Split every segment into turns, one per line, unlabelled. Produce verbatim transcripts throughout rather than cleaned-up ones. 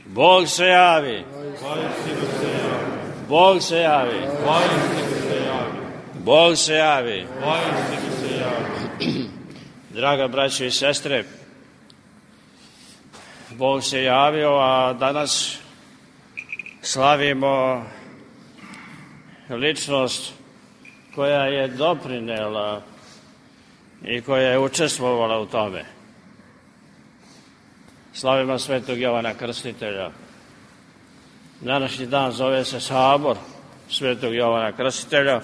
Bog se javi. Bog se javi. Bog se javi. Draga braćo i sestre, Bog se javio, a danas slavimo ličnost koja je doprinela i koja je učestvovala u tome. Slavimo svetog Jovana Krstitelja. Današnji dan zove se Sabor svetog Jovana Krstitelja,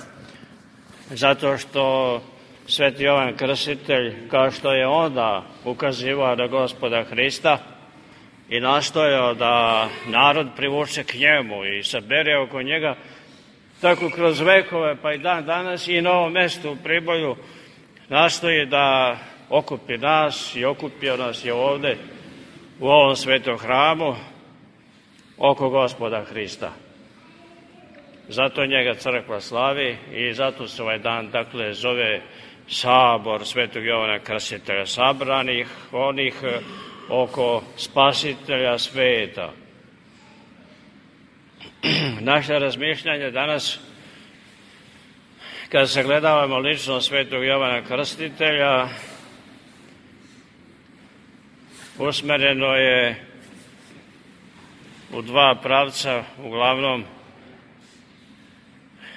zato što sveti Jovan Krstitelj, kao što je onda ukazivao na Gospoda Hrista i nastojao da narod privuče k njemu i sabere oko njega, tako kroz vekove pa i dan danas i na ovom mestu u Priboju nastoji da okupi nas i okupio nas je ovde u ovom svetom hramu oko Gospoda Hrista. Zato njega crkva slavi i zato se ovaj dan dakle zove Sabor svetog Jovana Krstitelja, sabranih onih oko Spasitelja sveta. Naše razmišljanje danas, kada sagledavamo ličnost svetog Jovana Krstitelja, usmereno je u dva pravca, uglavnom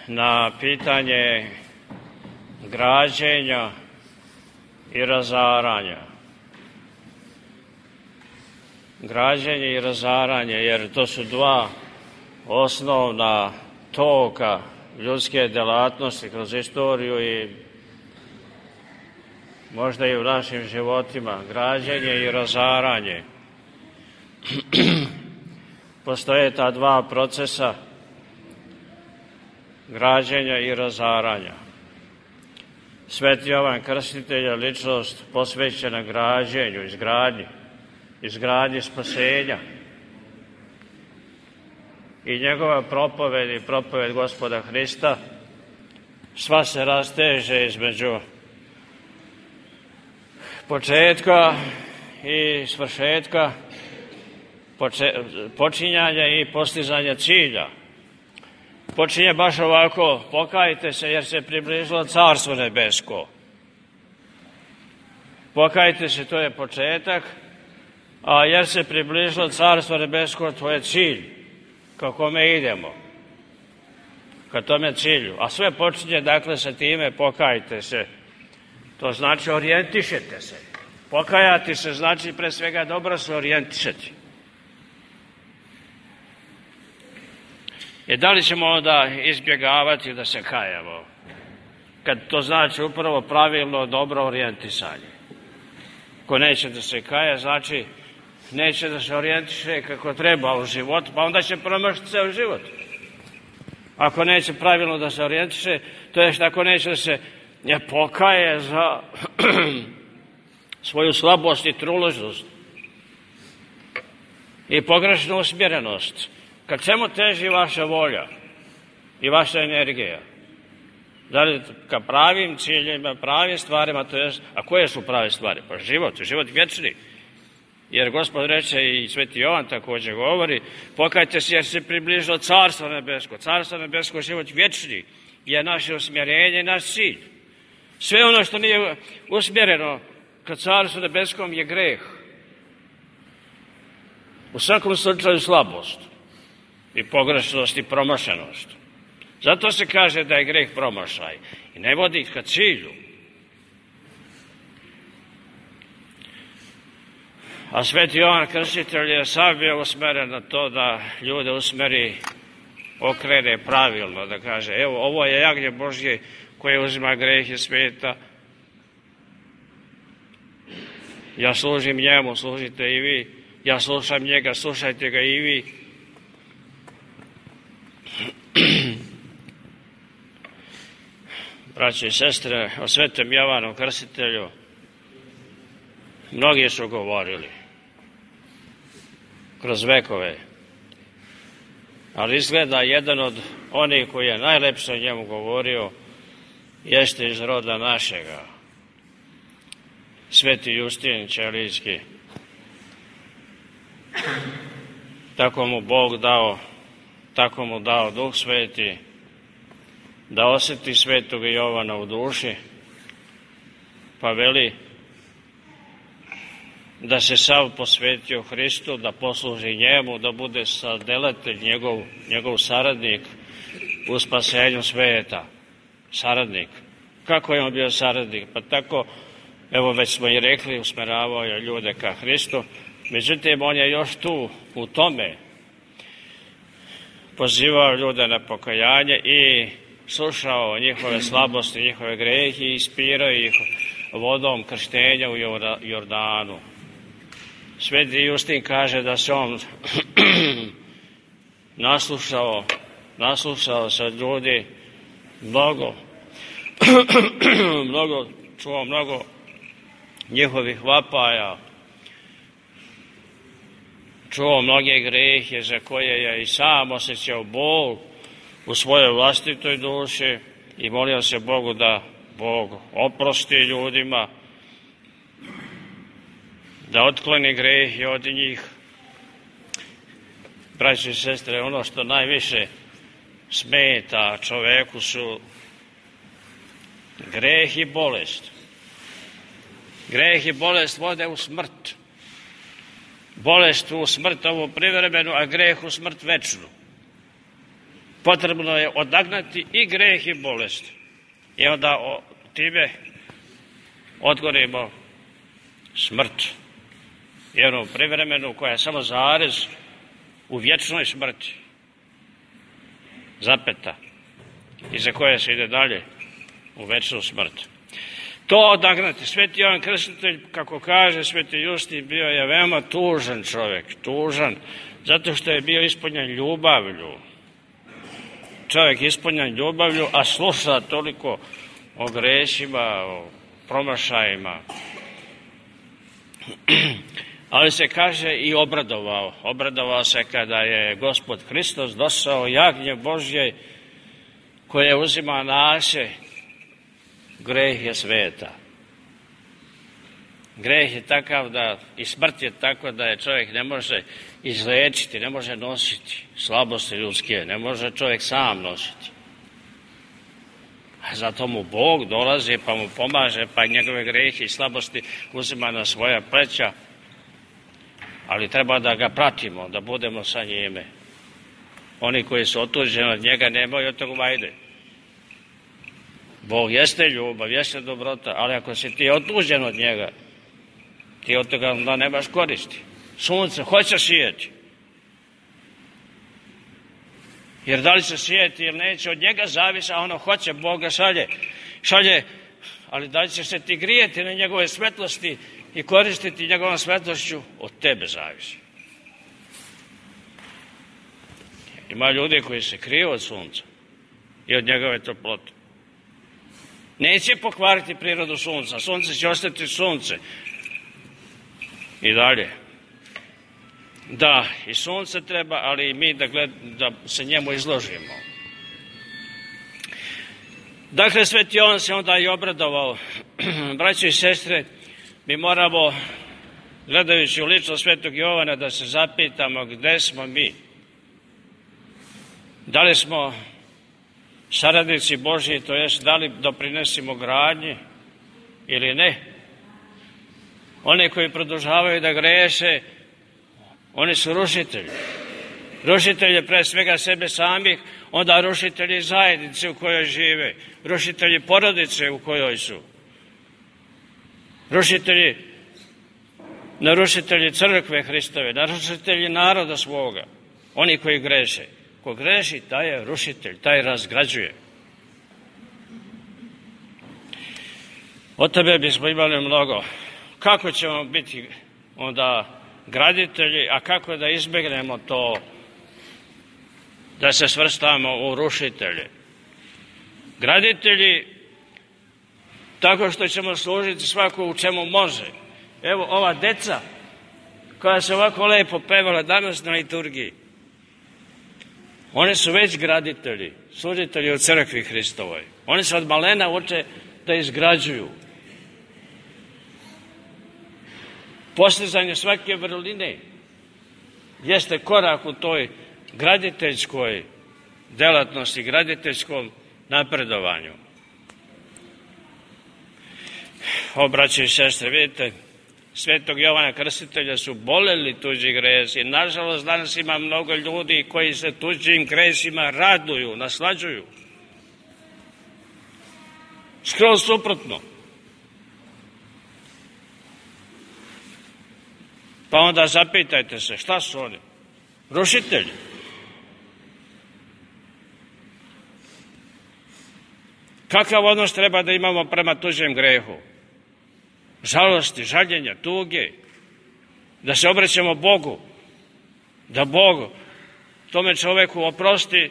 na pitanje građenja i razaranja. Građenje i razaranje, jer to su dva osnovna toka ljudske delatnosti kroz istoriju i možda i u našim životima, građenje i razaranje. Postoje ta dva procesa građenja i razaranja. Sveti Jovan Krstitelj je ličnost posvećena građenju, izgradnji, izgradnji spasenja. I njegova propoved i propoved Gospoda Hrista sva se rasteže između početka i svršetka, počinjanja i postizanja cilja. Počinje baš ovako: pokajte se jer se približilo Carstvo nebesko. Pokajte se, to je početak, a jer se približilo Carstvo nebesko, to je cilj ka kome idemo, ka tome cilju. A sve počinje dakle sa time: pokajte se. To znači orijentišete se. Pokajati se znači pre svega dobro se orijentišati. I da li ćemo onda izbjegavati da se kajamo, kad to znači upravo pravilno dobro orijentisanje? Ko neće da se kaja, znači neće da se orijentiše kako treba u život, pa onda će promašiti ceo život. Ako neće pravilno da se orijentiše, to je što ako neće da se ne pokaje za svoju slabost i truležnost i pogrešnu usmjerenost. Kad čemu teži vaša volja i vaša energija? Da li ka pravim ciljima, pravim stvarima, to je, a koje su prave stvari? Pa život, život vječni. Jer Gospod reče i sveti Jovan također govori: pokajte se jer se približilo Carstvo nebesko. Carstvo nebesko, život vječni, je naše usmjerenje i naš cilj. Sve ono što nije usmjereno ka Carstvu nebeskom je greh. U svakom slučaju slabost i pogrešnost i promašenost. Zato se kaže da je greh promašaj i ne vodi ka cilju. A sveti Jovan Krstitelj je sam bio usmeren na to da ljude usmeri, okrene pravilno, da kaže: evo, ovo je jagnje Božje koje uzima grehe sveta. Ja služim njemu, služite i vi. Ja slušam njega, slušajte ga i vi. Braće i sestre, o svetom Jovanu Krstitelju mnogi su govorili kroz vekove, ali izgleda jedan od onih koji je najlepše o njemu govorio jeste iz roda našega, sveti Justin Ćelijski. tako mu Bog dao, tako mu dao Duh Sveti, da osjeti Svetog Jovana u duši, pa veli da se sav posvetio Hristu, da posluži njemu, da bude sadelatelj, njegov, njegov saradnik u spasenju sveta. Saradnik. Kako je on bio saradnik? Pa tako, evo već smo i rekli, usmeravao je ljude ka Hristu, međutim on je još tu, u tome, pozivao ljude na pokajanje i slušao njihove slabosti, njihove grehe i ispirao ih vodom krštenja u Jordanu. Sveti Justin kaže da se on naslušao, naslušao se od ljudi mnogo, mnogo, čuo mnogo njihovih vapaja, čuo mnoge grehe za koje je i sam osjećao bol u svojoj vlastitoj duši i molio se Bogu da Bog oprosti ljudima, da otkloni grehe od njih. Braći i sestre, ono što najviše smeta čoveku su greh i bolest. Greh i bolest vode u smrt. Bolest u smrt ovu privremenu, a greh u smrt večnu. Potrebno je odagnati i greh i bolest. I onda o, time odgonimo smrt. I onu privremenu koja je samo zarez u vječnoj smrti. Zapeta. I za koje se ide dalje u večnu smrt. To odagnati. Sveti Jovan Krstitelj, kako kaže Sveti Justin, bio je veoma tužan čovjek. Tužan, zato što je bio ispunjen ljubavlju. Čovjek ispunjen ljubavlju, a sluša toliko o grešima, o promašajima. Ali se kaže i obradovao. Obradovao se kada je Gospod Hristos došao, jagnje Božje, koje uzima naše grehe sveta. Greh je takav da, i smrt je tako da je čovjek ne može izlečiti, ne može nositi slabosti ljudske, ne može čovjek sam nositi. A zato mu Bog dolazi pa mu pomaže, pa njegove grehe i slabosti uzima na svoja pleća, ali treba da ga pratimo, da budemo sa njime. Oni koji su otuđeni od njega nemaju od toga vajde. Bog jeste ljubav, jeste dobrota, ali ako si ti otuđen od njega, ti od toga onda nemaš koristi. Sunce hoće sijeti. Jer da li će sijeti ili neće, od njega zavisi, a ono hoće, Bog ga šalje. Šalje, ali da li će se ti grijeti na njegove svetlosti i koristiti njegovom svetlošću, od tebe zavisi. Ima ljudi koji se kriju od sunca i od njegove toplote. Neće pokvariti prirodu sunca, sunce će ostati sunce. I dalje. Da, i sunce treba, ali i mi da, gled, da se njemu izložimo. Dakle, Sveti Jovan se onda i obradovao. Braći i sestre, mi moramo, gledajući u lično Svetog Jovana, da se zapitamo gde smo mi. Da li smo saradnici Božji, to jest da li doprinesimo gradnji ili ne. Oni koji produžavaju da greše, oni su rušitelji. Rušitelji pre svega sebe samih, onda rušitelji zajednice u kojoj žive, rušitelji porodice u kojoj su, rušitelji, narušitelji crkve Hristove, narušitelji naroda svoga, oni koji greše. Ko greši, taj je rušitelj, taj razgrađuje. Od tebe bismo imali mnogo. Kako ćemo biti onda graditelji, a kako da izbjegnemo to da se svrstamo u rušitelje? Graditelji tako što ćemo služiti svako u čemu može. Evo ova deca koja se ovako lepo pevala danas na liturgiji, oni su već graditelji, služitelji u crkvi Hristovoj. Oni se od malena uče da izgrađuju. Postizanje svake vrline, jeste korak u toj graditeljskoj delatnosti, graditeljskom napredovanju. O, braće i sestre, vidite, Svetog Jovana Krstitelja su boleli tuđi gresi. Nažalost, danas ima mnogo ljudi koji se tuđim gresima raduju, naslađuju. Skroz suprotno. Pa onda zapitajte se, šta su oni? Rušitelji. Kakav odnos treba da imamo prema tuđem grehu? Žalosti, žaljenja, tuge, da se obraćamo Bogu, da Bog tome čoveku oprosti,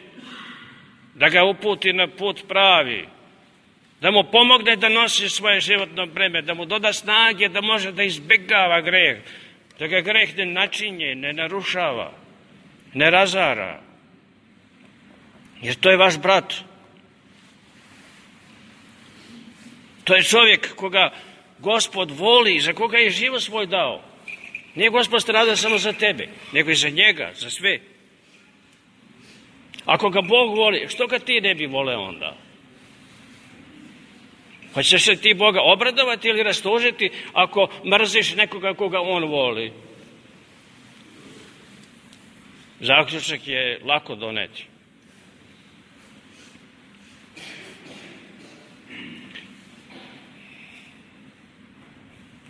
da ga uputi na put pravi, da mu pomogne da nosi svoje životno breme, da mu doda snage da može da izbjegava greh, da ga greh ne načinje, ne narušava, ne razara. Jer to je vaš brat. To je čovjek koga Gospod voli, za koga je život svoj dao. Nije Gospod stradao samo za tebe, nego i za njega, za sve. Ako ga Bog voli, što ga ti ne bi voleo onda? Pa ćeš se ti Boga obradovati ili rastužiti ako mrziš nekoga koga on voli? Zaključak je lako doneti.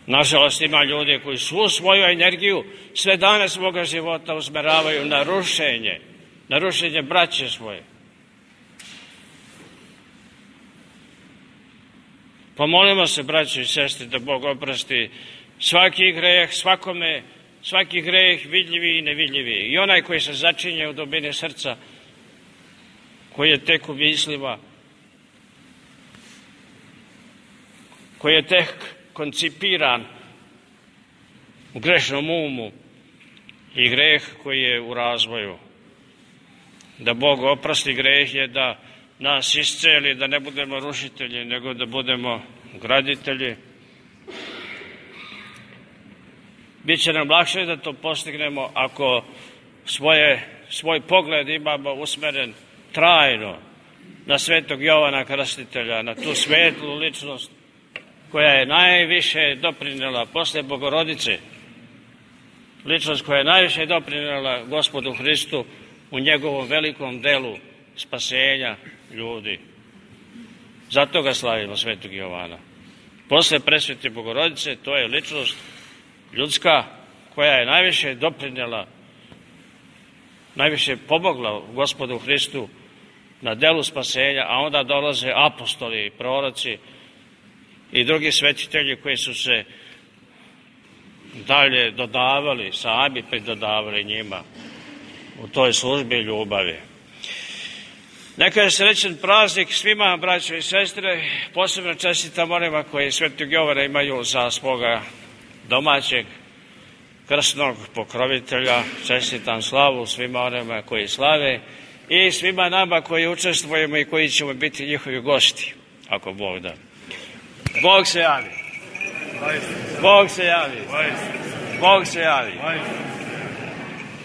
Nažalost, ima ljudi koji svu svoju energiju sve dane svoga života usmeravaju na rušenje, na rušenje braće svoje. Pomolimo se, braće i sestre, da Bog oprosti svaki greh, svakome, svaki greh vidljivi i nevidljivi. I onaj koji se začinje u dubini srca, koji je tek u mislima, koji je tek koncipiran u grešnom umu i greh koji je u razvoju. Da Bog oprosti greh je da nas isceli, da ne budemo rušitelji, nego da budemo graditelji. Biće nam lakše da to postignemo ako svoje, svoj pogled imamo usmeren trajno na Svetog Jovana Krstitelja, na tu svetlu ličnost koja je najviše doprinela posle Bogorodice, ličnost koja je najviše doprinela Gospodu Hristu u njegovom velikom delu spasenja ljudi. Zato ga slavimo, Svetog Jovana. Posle presvete Bogorodice, to je ličnost ljudska koja je najviše doprinela, najviše pomogla Gospodu Hristu na delu spasenja, a onda dolaze apostoli, proroci i drugi svetitelji koji su se dalje dodavali, sami pridodavali njima u toj službi ljubavi. Neka je srećan praznik svima, braćo i sestre, posebno čestitam onima koji Svetog Jovana imaju za svoga domaćeg krstnog pokrovitelja. Čestitam slavu svima onima koji slave i svima nama koji učestvujemo i koji ćemo biti njihovi gosti, ako Bog da. Bog se javi. Bog se javi. Bog se javi.